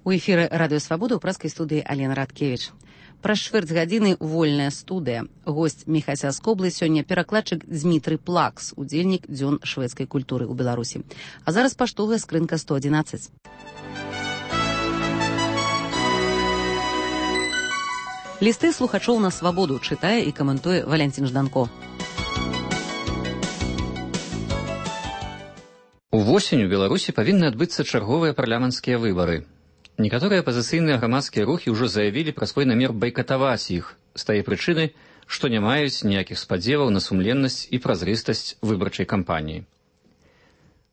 У эфіры радыё Свабода ў праскай студыі Алена Радкевіч. Праз чвэрць гадзіны вольная студыя. Госць Міхася Скоблы сёння перакладчык Дзмітрый Плакс, удзельнік дзён шведскай культуры ў Беларусі. А зараз паштовая скрынка 111. Лісты слухачоў на Свабоду чытае і каментуе Валянцін Жданко. Увосень у Беларусі павінны адбыцца чарговыя парламенцкія выбары. Некаторыя апазіцыйныя грамадскія рухі ўжо заявілі пра свой намер байкатаваць іх з тае прычыны, што не маюць ніякіх спадзеваў на сумленнасць і празрыстасць выбарчай кампаніі.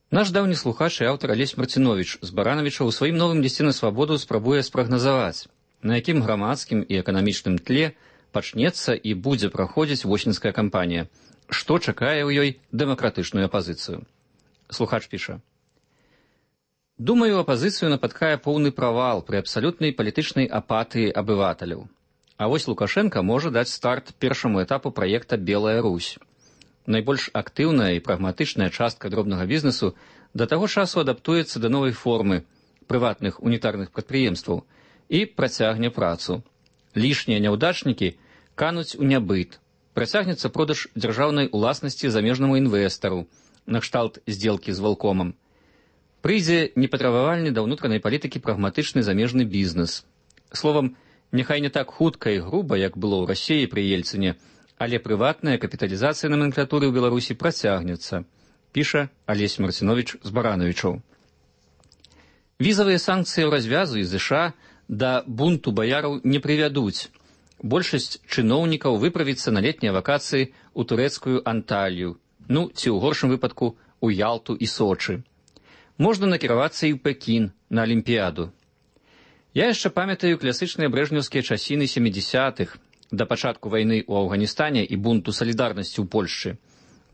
Наш даўні слухач і аўтар Алесь Марцинович з Барановича ў сваім новым лісце на Свабоду спрабуе спрагназаваць, на якім грамадскім і эканамічным тле пачнецца і будзе праходзіць восеньская кампанія, што чакае ў ёй дэмакратычную апазіцыю. Слухач піша: «Думаю, апазіцыю напаткае поўны правал пры абсалютнай палітычнай апатыі абываталяў. А вось Лукашенко можа даць старт першаму этапу праекта «Белая Русь». Найбольш актыўная і прагматычная частка дробнага бізнесу да таго часу адаптуецца да новай формы прыватных унітарных прадпрыемстваў і працягне працу. Лішнія няўдачнікі кануць у нябыт. Працягнецца продаж дзяржаўнай уласнасці замежнаму інвестару, накшталт здзелкі з Волкомам. Прыйдзе непатрабавальны да ўнутранай палітыкі прагматычны замежны бізнес. Словам, няхай не так хутка і груба, як было ў Расіі пры Ельцыне, але прыватная капіталізацыя номенклатуры ў Беларусі працягнецца, піша Алесь Марцинович з Барановичаў. Візавыя санкцыі ў развязу і ЗША да бунту баяраў не прывядуць. Большасць чыноўнікаў выправіцца на летнія вакацыі ў турэцкую Анталію, ці ў горшым выпадку у Ялту і Сочы. Можна накіравацца і ў Пекін на Алімпіяду. Я яшчэ памятаю класычныя брэжнеўскія часіны 70-х, да пачатку вайны ў Афганістане і бунту салідарнасці ў Польшчы.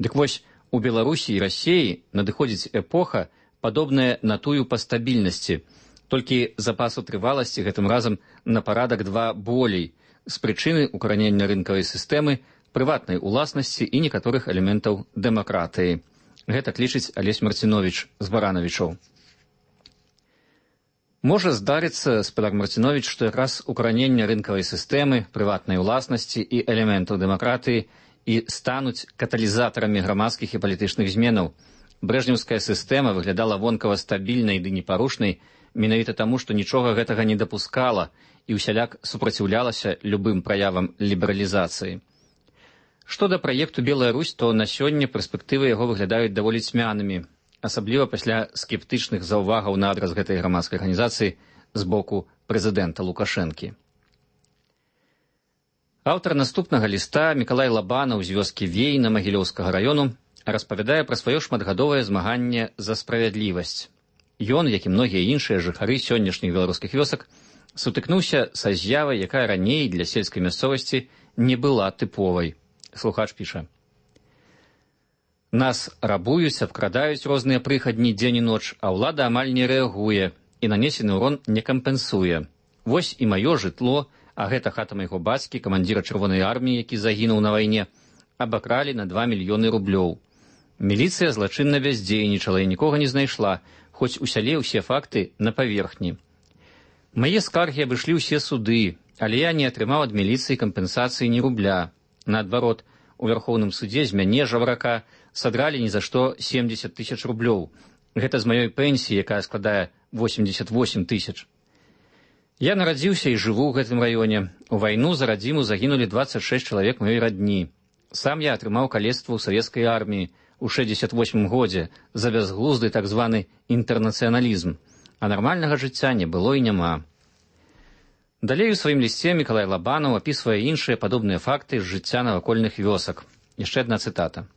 Дык вось, у Беларусі і Расіі надыходзіць эпоха, падобная на тую па стабільнасці, толькі запасу трываласці гэтым разам на парадак 2 болей, з прычыны укаранення рынкавай сістэмы, прыватнай уласнасці і некаторых элементаў дэмакратыі. Гэта лічыць Алесь Марцинович з Барановичаў. Можа здарыцца, спадар Марцинович, што якраз укаранення рынкавай сістэмы, прыватнай уласнасці і элементаў дэмакратыі і стануць каталізатарамі грамадскіх і палітычных зменаў. Брэжнеўская сістэма выглядала вонкава стабільнай ды непарушнай менавіта таму, што нічога гэтага не дапускала і ўсяляк супраціўлялася любым праявам лібералізацыі. Што да праекту «Белая Русь», то на сёння перспектывы яго выглядаюць даволі цьмянымі, асабліва пасля скептычных заўвагаў на адрас гэтай грамадскай арганізацыі з боку прэзідэнта Лукашэнкі. Аўтар наступнага ліста Мікалай Лабанаў з вёскі Вейна Магілёўскага раёну распавядае пра сваё шматгадовае змаганне за справядлівасць. Ён, як і многія іншыя жыхары сённяшніх беларускіх вёсак, сутыкнуўся са з'явай, якая раней для сельскай мясцовасці не была тыповай. Слухач піша: «Нас рабуюць, абкрадаюць розныя прыхадні дзень і ноч, а ўлада амаль не рэагуе і нанесены ўрон не кампенсуе. Вось і маё жытло, а гэта хата майго бацькі, камандзіра чырвонай арміі, які загінуў на вайне, абакралі на 2 мільёны рублёў. Міліцыя злачынна бяздзейнічала і нікога не знайшла, хоць у сяле ўсе факты на паверхні. Мае скаргі абышлі ўсе суды, але я не атрымаў ад міліцыі кампенсацыі ні рубля. Наадварот, у Вярхоўным судзе з мяне, жабрака, садралі ні за што 70 000 рублёў. Гэта з маёй пенсіі, якая складае 88 000. Я нарадзіўся і жыву ў гэтым раёне. У вайну за радзіму загінулі 26 чалавек маёй радні. Сам я атрымаў калецтва ў савецкай арміі ў 68 годзе за бязглузды так званы інтэрнацыяналізм, а нармальнага жыцця не было і няма». Далей у сваім лісце Мікалай Лабанаў апісвае іншыя падобныя факты з жыцця навакольных вёсак. Яшчэ адна цытата.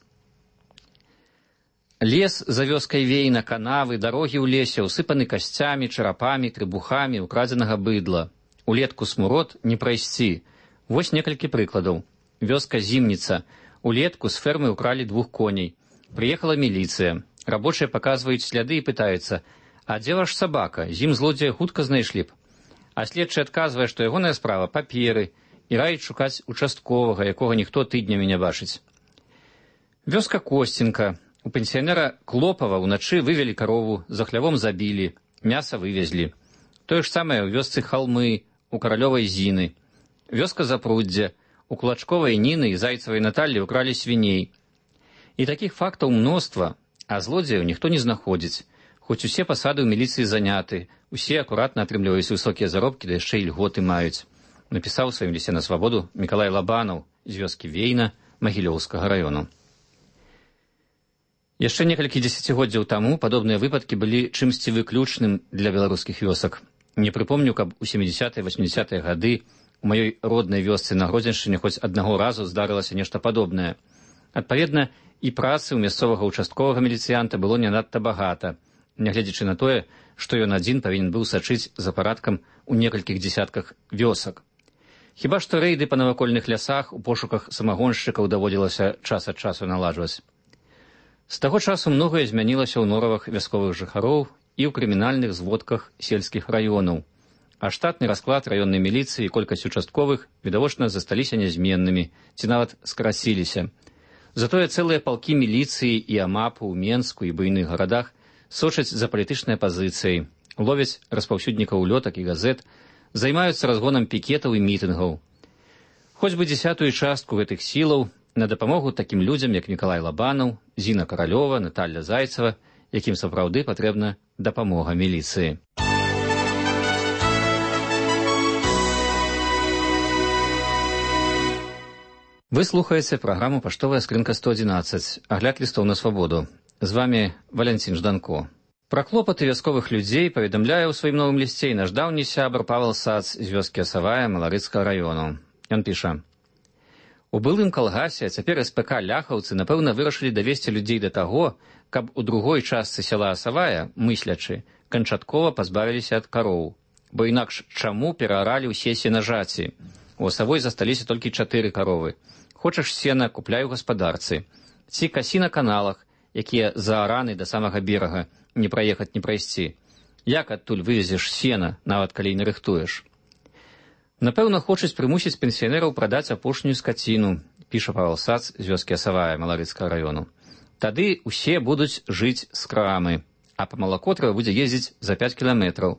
«Лес за вёскай Вейна, канавы, дарогі ў лесе ўсыпаны касцямі, чарапамі, трыбухамі, украдзенага быдла. Улетку смурод не прайсці. Вось некалькі прыкладаў. Вёска Зімніца. Улетку з фермы ўкралі 2 коней. Прыехала міліцыя. Рабочыя паказваюць сляды і пытаюцца: а дзе ваш сабака? Зім злодзея хутка знайшлі б. А следчы адказвае, што ягоная справа паперы і раіць шукаць участковага, якога ніхто тыднямі не бачыць. Вёска Косценка. У пенсіянера Клопава ўначы вывелі карову, за хлявом забілі, мяса вывезлі. Тое ж самае ў вёсцы Халмы, у Каралёвай Зіны. Вёска Запруддзя, у Кулачковай Ніны і Зайцавай Наталлі укралі свіней. І такіх фактаў мноства, а злодзеяў ніхто не знаходзіць. Хоць усе пасады ў міліцыі заняты, усе акуратна атрымліваюць высокія заробкі, да яшчэ і льготы маюць. Напісаў у сваім лісце на свабоду Мікалай Лабанаў з вёскі Вейна Магілёўскага раёну. Яшчэ некалькі дзесяцігоддзяў таму падобныя выпадкі былі чымсьці выключным для беларускіх вёсак. Не прыпомню, каб у 70-80-е гады у маёй роднай вёсцы на Гродзеншчыне хоць аднаго разу здарылася нешта падобнае. Адпаведна, і працы ў мясцовага участковага міліцыянта было не надта багата, нягледзячы на тое, што ён адзін павінен быў сачыць за парадкам у некалькіх дзесятках вёсак. Хіба што рэйды па навакольных лясах у пошуках самагоншчыкаў даводзілася час ад часу наладжваць. З таго часу многае змянілася ў норавах вясковых жыхароў і ў крымінальных зводках сельскіх раёнаў, а штатны расклад раённай міліцыі і колькасць участковых відавочна засталіся нязменнымі ці нават скараціліся. Затое цэлыя палкі міліцыі і амапу ў Менску і буйных гарадах сочаць за палітычнай пазіцыяй, ловяць распаўсюднікаў улётак і газет, займаюцца разгонам пікетаў і мітынгаў. Хоць бы 10-ую частку гэтых сілаў на дапамогу такім людзям, як Мікалай Лабанаў, Зіна Каралёва, Наталля Зайцева, якім сапраўды патрэбна дапамога міліцыі. Вы слухаеце праграму «Паштовая скрынка 111», агляд лістоў на свабоду. З вами Валянцін Жданко. Пра клопаты вясковых людзей паведамляе ў сваім новым лісце і наш даўні сябар Павел Сац з вёскі Асавая Маларыцкага раёну. Ён піша: у былым калгасе, а цяпер СПК ляхаўцы, напэўна, вырашылі давесці людзей да таго, каб у другой частцы сяла Асавая, мыслячы, канчаткова пазбавіліся ад кароў. Бо інакш чаму перааралі ўсе сенажаці? У Асавой засталіся толькі 4 каровы. Хочаш сена, купляй у гаспадарцы. Ці касі на каналах, якія заараны да самага берага, не праехаць, не прайсці. Як адтуль вывезеш сена, нават калі не рыхтуеш? Напэўна, хочуць прымусіць пенсіянераў прадаць апошнюю скаціну, піша Павел Сац з вёскі Асавая Маларыцкага раёну. Тады ўсе будуць жыць з крамы, а па малако трэба будзе ездзіць за 5 кіламетраў.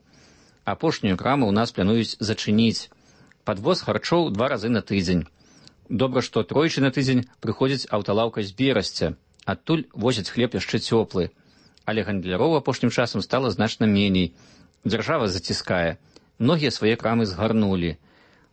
Апошнюю краму ў нас плануюць зачыніць. Падвоз харчоў 2 разы на тыдзень. Добра, што тройчы на тыдзень прыходзіць аўталаўка з Берасця. Адтуль возяць хлеб яшчэ цёплы. Але гандляроў апошнім часам стала значна меней. Дзяржава заціскае. Многія свае крамы згарнулі.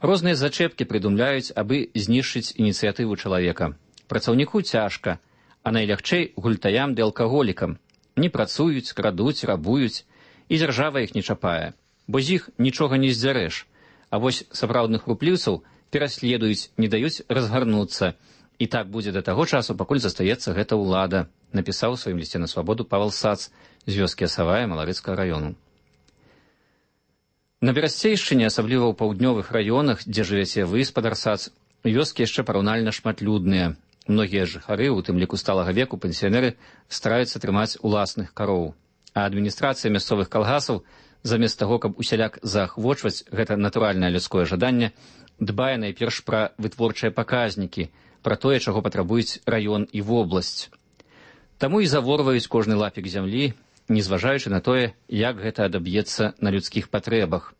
Розныя зачэпкі прыдумляюць, абы знішчыць ініцыятыву чалавека. Працаўніку цяжка, а найлягчэй гультаям ды алкаголікам. Не працуюць, крадуць, рабуюць, і дзяржава іх не чапае. Бо з іх нічога не здзярэш. А вось сапраўдных рупліўцаў пераследуюць, не даюць разгарнуцца. І так будзе да таго часу, пакуль застаецца гэта ўлада, напісаў у сваім лісце на свабоду Павел Сац з вёскі Асавая Маларыцкага раёну. На Берасцейшчыне, асабліва ў паўднёвых раёнах, дзе жывяце вы, спадар Сац, вёскі яшчэ параўнальна шматлюдныя. Многія жыхары, у тым ліку сталага веку, пенсіянеры, стараюцца трымаць уласных кароў. А адміністрацыя мясцовых калгасаў, замест таго, каб усяляк заахвочваць гэта натуральнае людское жаданне, дбае найперш пра вытворчыя паказнікі, пра тое, чаго патрабуюць раён і вобласць. Таму і заворваюць кожны лапік зямлі, незважаючы на тое, як гэта адаб'ецца на людскіх патрэбах.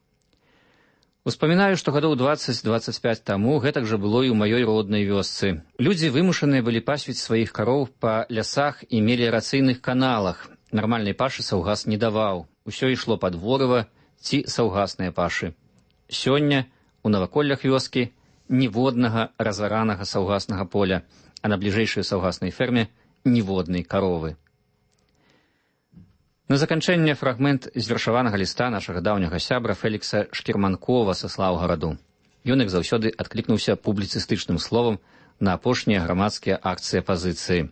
Успамінаю, што гадоў 20-25 таму гэтак жа было і ў маёй роднай вёсцы. Людзі вымушаныя былі пасвіць сваіх кароў па лясах і меліярацыйных каналах. Нармальнай пашы саўгас не даваў. Усё ішло пад ворыва ці саўгасныя пашы. Сёння у наваколлях вёскі ніводнага разаранага саўгаснага поля, а на бліжэйшай саўгаснай ферме ніводнай каровы. На заканчэнне фрагмент з вершаванага ліста нашага даўняга сябра Фелікса Шкірманкова са Слаўгараду. Ён, як заўсёды, адклікнуўся публіцыстычным словам на апошнія грамадскія акцыі апазіцыі.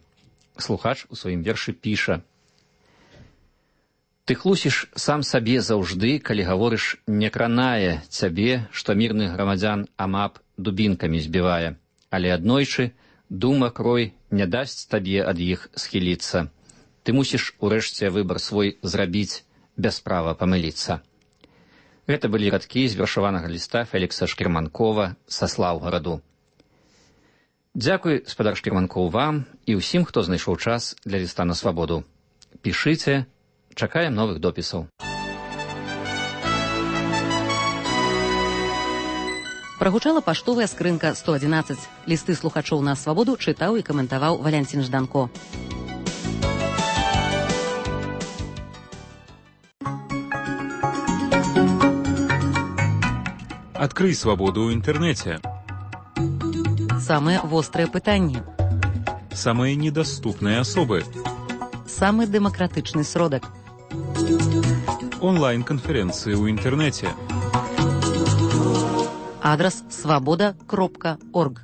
Слухач у сваім вершы піша: «Ты хлусіш сам сабе заўжды, калі гаворыш, не кранае цябе, што мірных грамадзян амап дубінкамі збівае, але аднойчы дума крой не дасць табе ад іх схіліцца. Ты мусіш урэшце выбар свой зрабіць, без права памыліцца». Гэта былі радкі з вершаванага ліста Фелікса Шкірманкова са Слаўгараду. Дзякуй, спадар Шкірманкоў, вам і ўсім, хто знайшоў час для ліста на свабоду. Пішыце, чакаем новых допісаў. Прагучала паштовая скрынка 111. Лісты слухачоў на свабоду чытаў і каментаваў Валянцін Жданко. Открый свободу в интернете. Самыя вострыя пытанні. Самые недоступные особы. Самы дэмакратычны сродак. Онлайн-конференции в интернете. Адрес свобода.орг.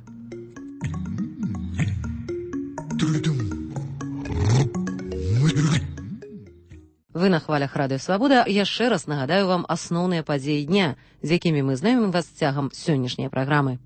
Вы на хвалях Радыё Свабода. Яшчэ раз нагадаю вам асноўныя падзеі дня, з якімі мы знаёмім вас цягам сённяшняй праграмы.